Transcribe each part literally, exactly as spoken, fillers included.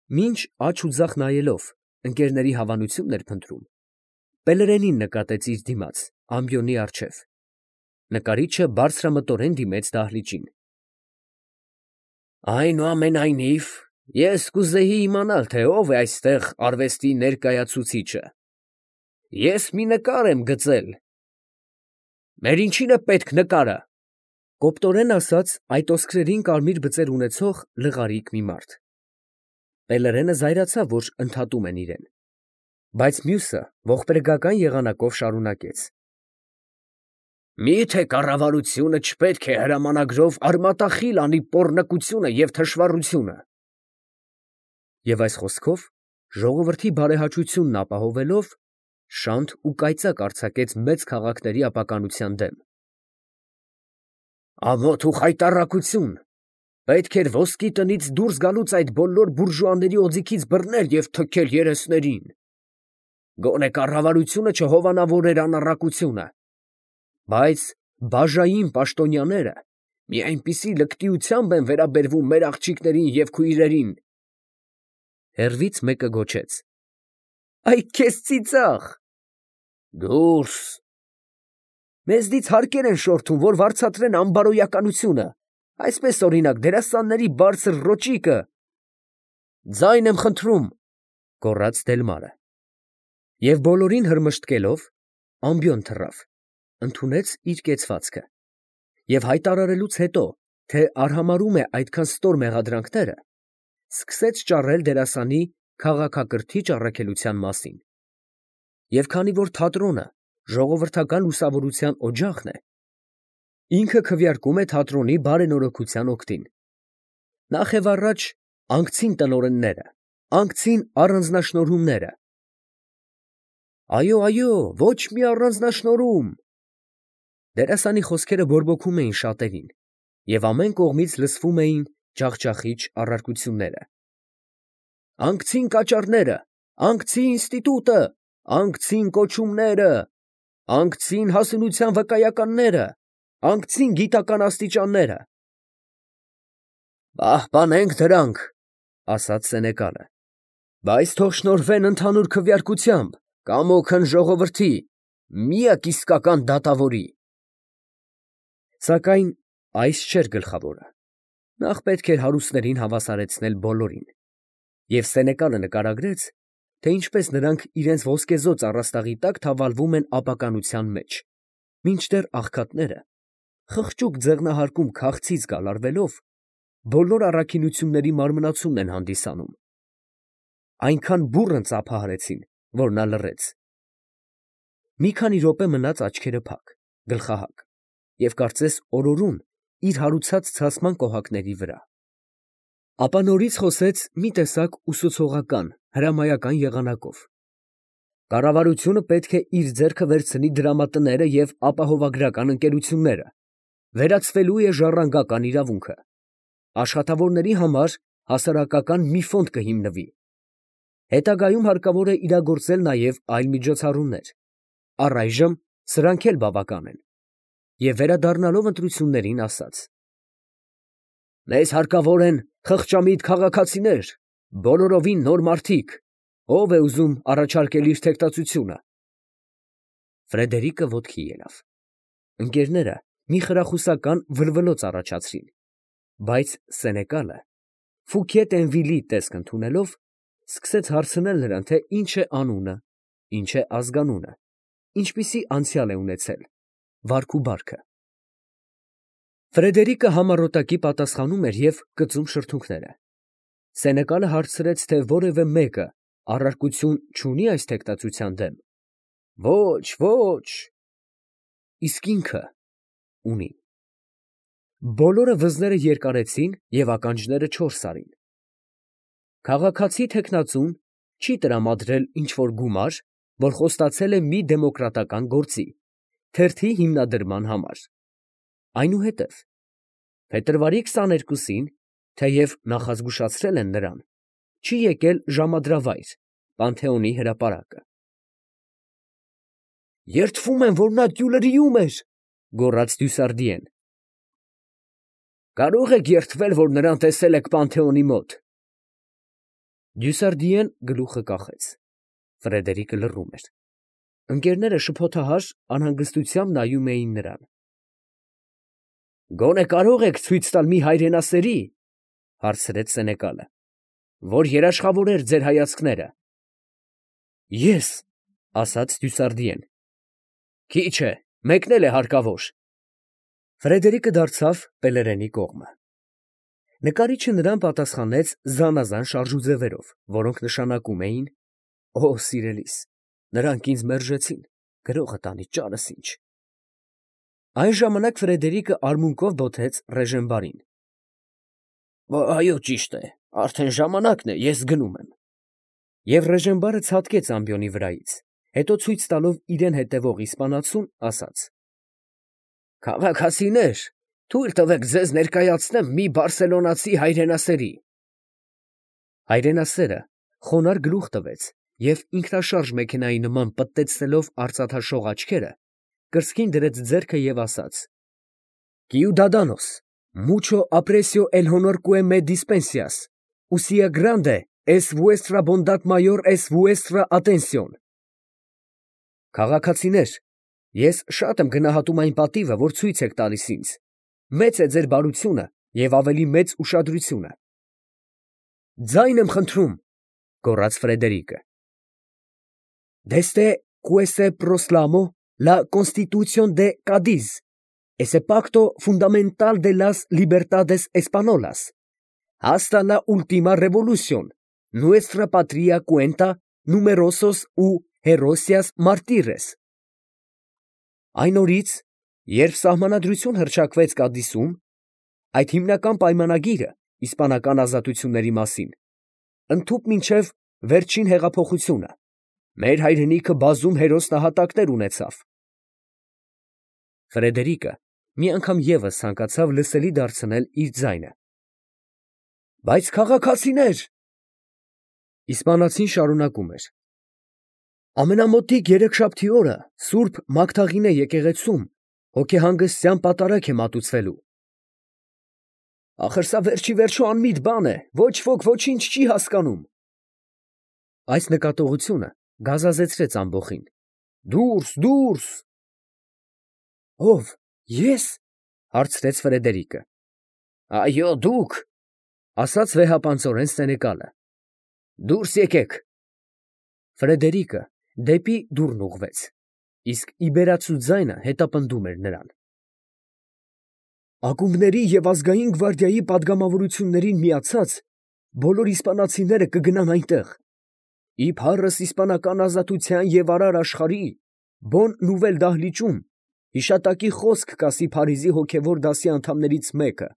Մինչ աջ ու ձախ նայելով ընկերների հավանությունն էր փնտրում, Պելերենին նկատեց իր դիմաց ամբիոնի առջև. նկարիչը բարձրամտորեն դիմեց դահլիճին։ Այնուամենայնիվ, ես կուզեի իմանալ, թե ով է այստեղ արվեստի ներկայացուցիչը։ Ես մի նկար եմ գծել։ Մեր ինչին է պետք նկարը։ Կոպտորեն ասաց այդ ոսկրերին կարմիր բծեր ունեցող լղարիկ մի մարդ։ Պելերենը զայրացավ, որ ընդհատում են իրեն, բայց մյուսը ողբերգական եղանակով շարունակեց. Մի՞թե կառավարությունը չպետք է հրամանագրով արմատախիլ անի պոռնկությունը և թշվառությունը։ Եվ այս խոսքով ժողովրդի բարեհաճությունն ապահովելով շանթ ու կայծակ արձակեց մեծ քաղաքների ապականության դեմ։ Ամոթ ու խայտառակություն, պետք էր ոսկի տնից դուրս գալուց այդ բոլոր բուրժուաների օձիքից բռնել և թքել երեսներին։ Գոնե կառավարությունը չհովանավորեր անառակությունը, բայց բաժային պաշտոնյաները մի այնպիսի լկտիությամբ են վերաբերվում մեր աղջիկներին և քույրերին։ Հեռվից մեկը գոչեց. Այ քեզ ծիծաղ։ Դուրս։ Մեզնից հարկեր են շորթում, որ վարձատրեն անբարոյականությունը, այսպես օրինակ դերասանների բարձր ռոճիկը։ Ձայն եմ խնդրում, գոռաց Դելմարը։ Եվ բոլորին հրմշտկելով ամբիոն թռավ, ընդունեց իր կեցվածքը, և հայտարարելուց հետո, թե արհամարհում է այդքան ստոր մեղադրանքները, սկսեց ճառել դերասանի քաղաքակրթիչ առաքելության մասին։ Եվ քանի որ թատրոնը ժողովրդական լուսավորության օջախն է, ինքը քվեարկում է թատրոնի բարենորոգության օգտին։ Նախ և առաջ անկցին տնօրենները, անկցին առանձնաշնորհումները։ Այո, այո, ոչ մի առանձնաշնորհում։ Դերասանի խոսքերը բորբոքում էին շատերին, և ամեն կողմից լսվում էին ջախջախիչ առարկությունները։ Անկցին կաճառները, անկցի ինստիտուտը, անկցին կոչումները, անկցին հասունության վկայականները, անկցին գիտական աստիճանները։ Պահպանենք դրանք, ասաց սենեկալը, բայց թող շնորհվեն ընդհանուր քվեարկությամբ, կամոքն ժողովրդի, միակ իսկական դատավորի։ Սակայն այս չէր գլխավորը. նախ պետք էր հարուստներին հավասարեցնել բոլորին, և սենեկալը նկարագրեց, թե ինչպես նրանք իրենց ոսկեզօծ առաստաղի տակ թավալվում են ապականության մեջ, մինչդեռ աղքատները, խղճուկ ձեղնահարկում քաղցից գալարվելով, բոլոր առաքինությունների մարմնացումն են հանդիսանում։ Այնքան բուռն ծափահարեցին, որ նա լռեց։ Մի քանի րոպե մնաց աչքերը փակ, գլխահակ, և կարծես օրորում իր հարուցած ցասման կոհակների վրա։ Ապա նորից խոսեց մի տեսակ ուսուցողական, հրամայական եղանակով. Կառավարությունը պետք է իր ձեռքը վերցնի դրամատները և ապահովագրական ընկերությունները, վերացվելու է ժառանգական իրավունքը, աշխատավորների համար հասարակական մի ֆոնդ կհիմնվի, հետագայում հարկավոր է իրագործել նաև այլ միջոցառումներ, առայժմ սրանք էլ բավական են, և վերադառնալով ընտրություններին ասաց. Մեզ հարկավոր են խղճամիտ քաղաքացիներ, բոլորովին նոր մարդիկ, ով է ուզում առաջարկել իր թեկտածությունը։ Ֆրեդերիկը ոտքի ելավ։ Ընկերները մի խրախուսական վլվլոց առաջացրին, բայց սենեկալը, Ֆուկիե Տենվիլի տեսք ընդունելով, սկսեց հարցնել նրան, թե ինչ է անունը, ինչ է ազգանունը, ինչպիսի անցյալ է ունեցել, վարք ու բարքը։ Ֆրեդերիկը համառոտակի պատասխանում էր և կծում շրթունքները։ Սենեկալը հարցրեց, թե որևէ մեկը առարկություն չունի այս թեկտածության դեմ։ Ոչ, ոչ։ Իսկ ինքը ունի։ Բոլորը վզները երկարեցին և ականջները չորս արին։ Քաղաքացի թեկնածուն չի տրամադրել ինչ֊որ գումար, որ խոստացել է մի դեմոկրատական գործի, թերթի հիմնադրման համար։ Այնուհետև փետրվարի քսաներկուսին, թեև նախազգուշացրել են նրան, չի եկել ժամադրավայր, Պանթեոնի հրապարակը։ Երդվում եմ, որ նա տյուլրիում էր, գոռաց Դյուսարդիեն։ Կարող եք երդվել, որ նրան տեսել եք Պանթեոնի մոտ։ Դյուսարդիեն գլուխը կախեց։ Ֆրեդերիկը լռում էր։ Ընկերները շփոթահար անհանգստությամբ նայում էին նրան։ ֊ Գոնե կարո՞ղ եք ցույց տալ մի հայրենասերի, ֊ հարցրեց սենեկալը, ֊ որ երաշխավորեր ձեր հայացքները։ ֊ Ես, ֊ ասաց դյուսարդիեն։ ֊ Քիչ է, մեկն էլ է հարկավոր։ Ֆրեդերիկը դարձավ Պելերենի կողմը։ Նկարիչը նրան պատասխանեց զանազան շարժուձևերով, որոնք նշանակում էին. «Օ, սիրելիս, նրանք ինձ մերժեցին, գրողը տանի ճարս ինչ»։ Այն ժամանակ Ֆրեդերիկը արմունկով բոթեց Ռեժենբարին։ «Այո, ճիշտ է, արդեն ժամանակն է, ես գնում եմ»։ Եվ Ռեժենբարը ցատկեց ամբիոնի վրայից, հետո ցույց տալով իրան հետևող իսպանացուն, ասաց. «Քաղաքացիներ, թույլ տվեք ձեզ ներկայացնեմ մի բարսելոնացի հայրենասերի»։ Հայրենասերը խոնարհ գլուխ տվեց և ինքնաշարժ մեքենայի նման պտտեցնելով արծաթաշող աչքերը, կրծքին դրեց ձեռքը և ասաց. «Ciudadanos, mucho aprecio el honor que me dispensas, usía grande es vuestra bondad mayor es vuestra atención»։ Քաղաքացիներ, ես շատ եմ գնահատում այն պատիվը, որ ցույց եք տալիս ինձ, մեծ է ձեր բարությունը և ավելի մեծ ուշադրությունը։ «Ձայն եմ խնդրում», ֊ գոռաց Ֆրեդերիկը։ «Desde que se proclamó la Constitución de Cádiz, ese pacto fundamental de las libertades españolas, hasta la última revolución, nuestra patria cuenta numerosos y heroicos mártires»։ Այն օրից, երբ սահմանադրություն հռչակվեց Կադիսում, այդ հիմնական պայմանագիրը իսպանական ազատությունների մասին, ընդհուպ մինչև վերջին հեղափոխությունը, մեր հայրենիքը բազում հերոս նահատակներ ունեցավ։ Ֆրեդերիկը մի անգամ ևս ցանկացավ լսելի դարձնել իր ձայնը։ «Բայց քաղաքացիներ…» Իսպանացին շարունակում էր. «Ամենամոտիկ երեքշաբթի օրը Սուրբ Մագդաղինե եկեղեցում հոգեհանգստյան պատարագ է մատուցվելու։ Ախր սա վերջիվերջո անմիտ բան է, ոչ ոք ոչինչ չի հասկանում»։ Այս նկատողությունը գազազեցրեց ամբոխին։ «Դուրս, դուրս»։ «Ո՞վ, ես» հարցրեց Ֆրեդերիկը։ «Այո, դուք», ֊ ասաց վեհապանծորեն սենեկալը։ «Դուրս եկեք»։ Ֆրեդերիկը դեպի դուռն ուղղվեց, իսկ իբերացու ձայնը հետապնդում էր նրան։ «Ակումբների և ազգային գվարդիայի պատգամավորություններին միացած բոլոր իսպանացիները կգնան այնտեղ, ի փառս իսպանական ազատության և արար աշխարհի, Բոն Նուվել դահլիճում հիշատակի խոսք կասի Փարիզի հոգևոր դասի անդամներից մեկը,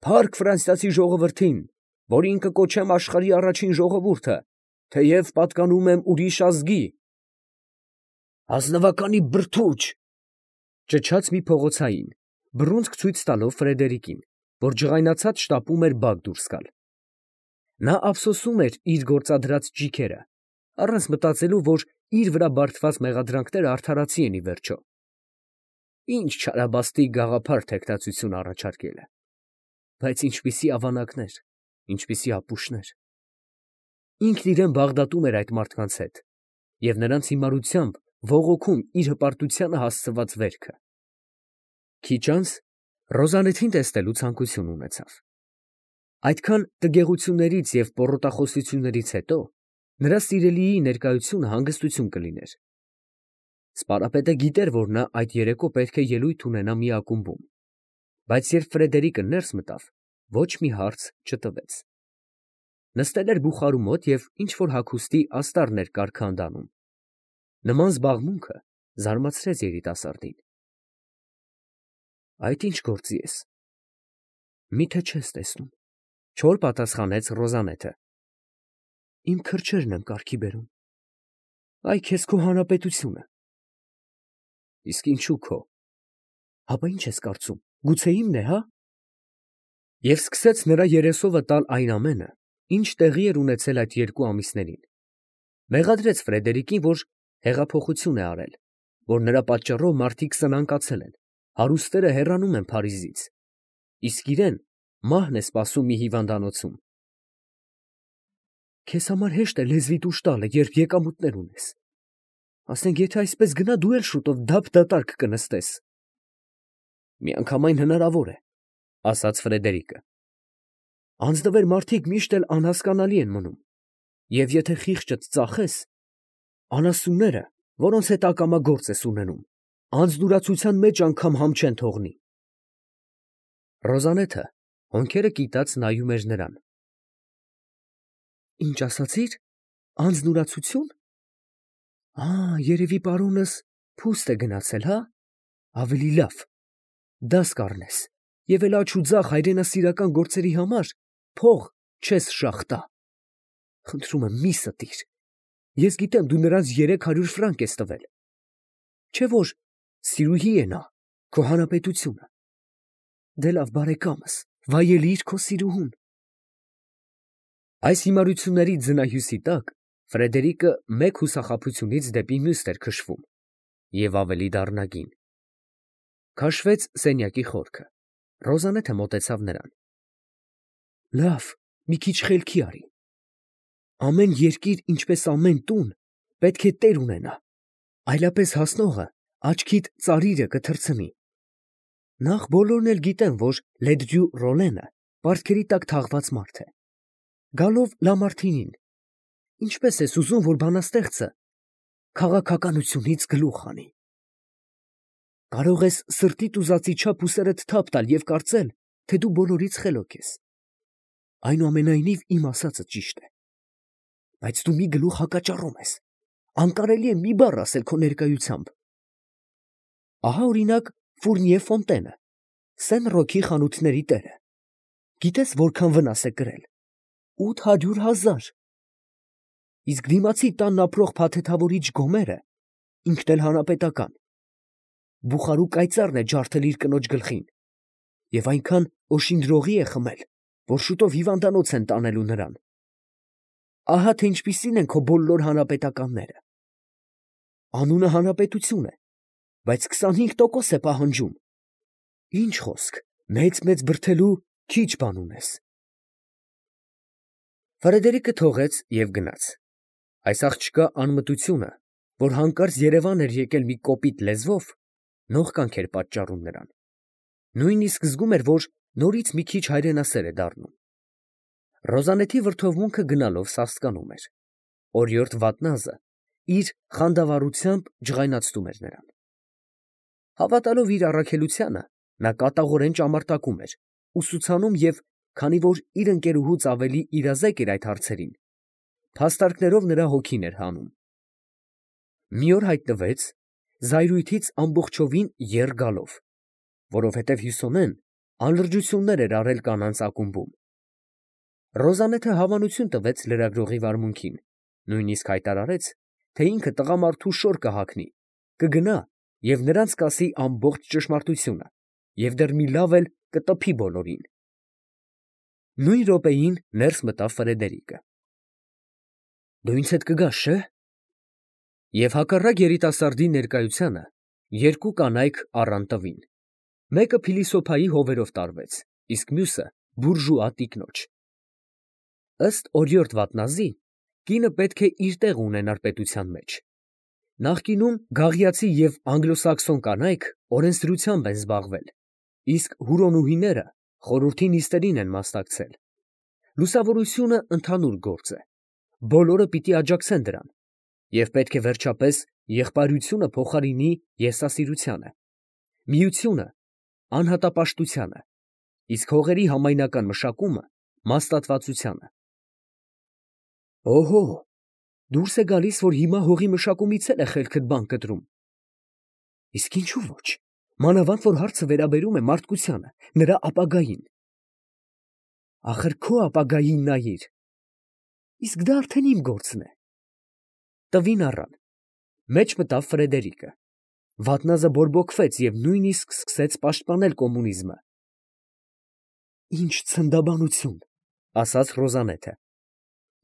փառք ֆրանսիացի ժողովրդին, որին կկոչեմ աշխարհի առաջին ժողովուրդը, թեև պատկանում եմ ուրիշ ազգի»։ «Ազնվականի բրդուճ», ֊ ճչաց մի փողոցային, բռունցք ցույց տալով Ֆրեդերիկին, որ ջղայնացած շտապում էր բակ դուրս գալ։ Նա ափսոսում էր իր գործադրած ճիգերը, առանց մտածելու, որ իր վրա բարդված մեղադրանքները արդարացի են ի վերջո։ Ինչ չարաբաստիկ գաղափար թեկնածություն առաջարկելը։ Բայց ինչպիսի ավանակներ, ինչպիսի ապուշներ։ Ինքն իրան բաղդատում էր այդ մարդկանց հետ և նրանց հիմարությամբ ողոքում իր հպարտությանը հասցված վերքը։ Քիչ անց Ռոզալեթին տեսնելու ցանկություն ունեցավ։ Այդքան տգեղություններից և պոռոտախոսություններից հետո նրա սիրելիի ներկայությունը հանգստություն կլիներ։ Սպարապետը գիտեր, որ նա այդ երեկո պետք է ելույթ ունենա մի ակումբում, բայց երբ Ֆրեդերիկը ներս մտավ, ոչ մի հարց չտվեց։ Նստել էր բուխարու մոտ և ինչ֊որ հագուստի աստառներ կարգանդանում։ Նման զբաղմունքը զարմացրեց երիտասարդին։ «Այդ ի՞նչ գործի ես։ Մի՞թե չես տեսնում», ֊ չոր պատասխանեց Ռոզանեթը։ «Իմ քրջերն եմ կարգի բերում։ Այ քեզ քո հանրապետությունը»։ «Իսկ ինչու քո։ Հապա ի՞նչ ես կարծում, գուցե իմն է, հա»։ Եվ սկսեց նրա երեսովը տալ այն ամենը, ինչ տեղի էր ունեցել այդ երկու ամիսներին։ Մեղադրեց Ֆրեդերիկին, որ հեղափոխություն է արել, որ նրա պատճառով մարդիկ սնանկացել են, հարուստները հեռանում են Փարիզից, իսկ իրեն մահն է սպասում մի հիվանդանոցում։ Քեզ համար հեշտ է լեզվիդ ուշ տալը, երբ եկամուտներ ունես։ Ասենք, եթե այսպես գնա, դու էլ շուտով դափ դատարկ կնստես։ Միանգամայն հնարավոր է, ասաց Ֆրեդերիկը։ Անձնվեր մարդիկ միշտ էլ անհասկանալի են մնում, և եթե խիղճդ ծախես, անասունները, որոնց հետ ակամա գործ ես ունենում, անձնուրացության մեջ անգամ համ չեն թողնի։ Ռոզանեթը հոնքերը կիտած նայում էր նրան։ Ինչ ասացիր, անձնուրացություն։ Ա, երևի պարոնս փուստ է գնացել, հա, ավելի լավ, դաս կառնես, և էլ աջ ու ձախ հայրենասիրական գործերի համար փող չես շաղ տա։ Խնդրում եմ, մի ստիր, ես գիտեմ, դու նրանց երեք հարյուր ֆրանկ ես տվել, չէ՞ որ սիրուհի է նա, քո հանապետությունը։ Դե լավ, բարեկամս, վայելիր քո սիրուհուն։ Այս հիմարությունների ձնահյուսի տակ Ֆրեդերիկը մեկ հուսախաբությունից դեպի մյուսն էր քշվում, և ավելի դառնագին։ Քաշվեց սենյակի խորքը, Ռոզանեթը մոտեցավ նրան։ Լավ, մի քիչ խելքի արի։ Ամեն երկիր, ինչպես ամեն տուն, պետք է տեր ունենա, այլապես հասնողը աչքիդ ծարիրը կթռցնի։ Նախ բոլորն էլ գիտեն, որ Լեդրյու Ռոլենը պարտքերի տակ թաղված մարդ է։ Գալով Լամարթինին, ինչպես ես ուզում, որ բանաստեղծը քաղաքականությունից գլուխ հանի։ Կարող ես սրտիդ ուզածի չափ ուսերդ թափ տալ և կարծել, թե դու բոլորից խելոք ես։ Այնուամենայնիվ իմ ասածը ճիշտ է։ Բայց դու մի գլուխ հակաճառում ես, անկարելի է մի բառ ասել քո ներկայությամբ։ Ահա օրինակ Ֆուրնիե Ֆոնտենը, Սեն Ռոքի խանութների տերը։ Գիտես որքան վնաս է կրել։ Ութ հարյուր հազար։ Իսկ դիմացի տանն ապրող փաթեթավորիչ Գոմերը, ինքն էլ հանապետական, բուխարու կայծառն է ջարդել իր կնոջ գլխին, և այնքան օշինդրողի է խմել, որ շուտով հիվանդանոց են տանելու նրան։ Ահա թե ինչպիսին են քո բոլոր հանապետականները։ Անունը հանապետություն է, բայց քսանհինգ տոկոս է պահանջում։ Ինչ խոսք, մեծ֊մեծ բրդելու քիչ բան ունես։ Ֆրեդերիկը թողեց և գնաց։ Այս աղջկա անմտությունը, որ հանկարծ Երևան էր եկել մի կոպիտ լեզվով, նողկանք էր պատճառում նրան։ Նույնիսկ զգում էր, որ նորից մի քիչ հայրենասեր է դառնում։ Ռոզանեթի վրդովմունքը գնալով սաստկանում էր։ Օրիորդ Վատնազը իր խանդավառությամբ ջղայնացնում էր նրան։ Հավատալով իր առաքելությանը, նա կատաղորեն ճամարտակում էր, ուսուցանում և, քանի որ իր ընկերուհուց ավելի իրազեկ էր այդ հարցերին, փաստարկներով նրա հոգին էր հանում։ Մի օր հայտնվեց զայրույթից ամբողջովին եռ գալով, որովհետև Հյուսոնեն անլրջություններ էր արել կանանց ակումբում։ Ռոզանեթը հավանություն տվեց լրագրողի վարմունքին, նույնիսկ հայտարարեց, թե ինքը տղամարդու շոր կհագնի, կգնա և նրանց կասի ամբողջ ճշմարտությունը և դեռ մի լավ էլ կտփի բոլորին։ Նույն րոպեին ներս մտավ Ֆրեդերիկը։ Դու ինձ հետ կգաս, չէ՞։ Եվ հակառակ երիտասարդի ներկայությանը երկու կանայք առան տվին։ Մեկը փիլիսոփայի հովերով տարվեց, իսկ մյուսը բուրժուա տիկնոջ։ Ըստ օրիորդ Վատնազի, կինը պետք է իր տեղը ունենար պետության մեջ։ Նախկինում գաղիացի և անգլոսաքսոն կանայք օրենսդրությամբ են զբաղվել, իսկ հուրոնուհիները խորհրդի նիստերին են մասնակցել։ Լուսավորությունը ընդհանուր գործ է, բոլորը պիտի աջակցեն դրան, և պետք է վերջապես եղբայրությունը փոխարինի եսասիրությանը, միությունը անհատապաշտությանը, իսկ հողերի համայնական մշակումը մասնատվածությանը։ Օհո, դուրս է գալիս, որ հիմա հողի մշակումից էլ է խելքդ բան կտրում։ Իսկ ինչու ոչ, մանավանդ որ հարցը վերաբերում է մարդկությանը, նրա ապագային։ Ախր քո ապագային նայիր։ Իսկ դա արդեն իմ գործն է։ Տվին առան։ Մեջ մտավ Ֆրեդերիկը։ Վատնազը բորբոքվեց և նույնիսկ սկսեց պաշտպանել կոմունիզմը։ Ինչ ցնդաբանություն, ասաց Ռոզանեթը։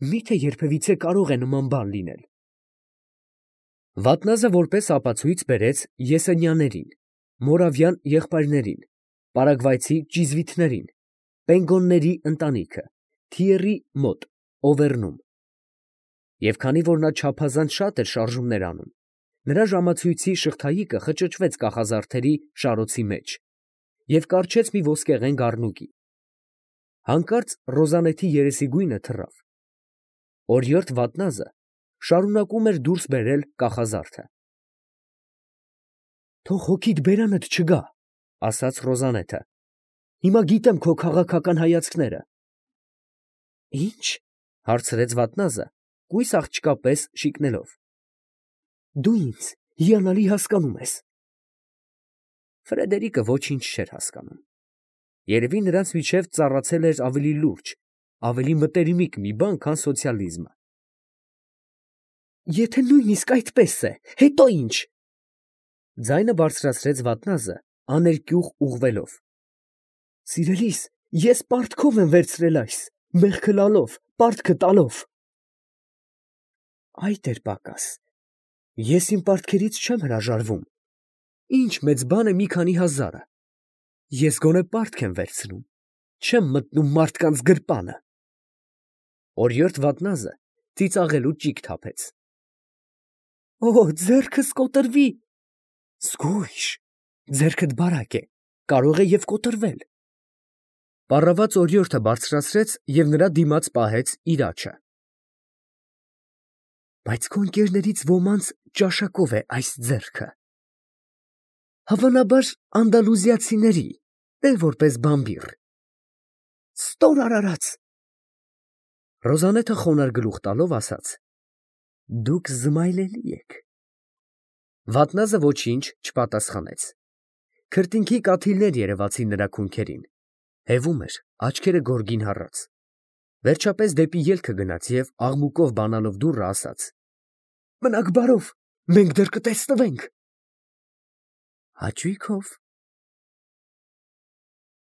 Մի՞թե երբևիցե կարող է նման բան լինել։ Վատնազը որպես ապացույց բերեց Եսենյաներին, Մորավյան եղբայրներին, պարագվայցի ճիզվիթներին, պենգոնների ընտանիքը, Թիերի մոտ, Օվերնում։ Եվ քանի որ նա չափազանց շատ էր շարժումներ անում, նրա ժամացույցի շղթայիկը խճճվեց կախազարդերի շարոցի մեջ և կառչեց մի ոսկեղեն գառնուկի։ Հանկարծ Ռոզանեթի երեսի գույնը թռավ։ Օրիորդ Վատնազը շարունակում էր դուրս բերել կախազարդը։ «Թող հոգիդ բերանդ չգա», ֊ ասաց Ռոզանեթը։ «Հիմա գիտեմ քո քաղաքական հայացքները»։ «Ի՞նչ» ֊ հարցրեց Վատնազը, կույս աղջկա պես շիկնելով։ «Դու ինձ հիանալի հասկանում ես»։ Ֆրեդերիկը ոչինչ չէր հասկանում։ Երևի նրանց միջև ծառացել էր ավելի լուրջ, ավելի մտերմիկ մի բան, քան սոցիալիզմը։ «Եթե նույնիսկ այդպես է, հետո ի՞նչ», ֊ ձայնը բարձրացրեց Վատնազը, աներկյուղ ուղղվելով։ «Սիրելիս, ես պարտքով եմ վերցրել այս, մեղքը լալով, պարտքը տալով»։ «Այդ էր պակաս։ Ես իմ պարտքերից չեմ հրաժարվում։ Ինչ մեծ բան է մի քանի հազարը։ Ես գոնե պարտք եմ վերցնում, չեմ մտնում մարդկանց գրպանը»։ Օրիորդ Վատնազը ծիծաղելու ճիգ թափեց։ «Օ, ձեռքս կոտրվի»։ «Զգույշ, ձեռքդ բարակ է, կարող է և կոտրվել»։ Պառաված օրիորդը բարձրացրեց և նրա դիմաց պահեց իր աջը։ «Բայց քո ընկերներից ոմանց ճաշակով է այս ձեռքը։ Հավանաբար անդալուզիացիների, տե որպես բամբիռ։ Ստոր արարած»։ Ռոզանեթը խոնարհ գլուխ տալով ասաց. «Դուք զմայլելի եք»։ Վատնազը ոչինչ չպատասխանեց։ Քրտինքի կաթիլներ երևացին նրա քունքերին, հևում էր, աչքերը գորգին հառած։ Վերջապես դեպի ելքը գնաց և աղմուկով բանալով դուռը ասաց. «Մնաք բարով, մենք դեռ կտեսնվենք»։ «Հաճույքով»,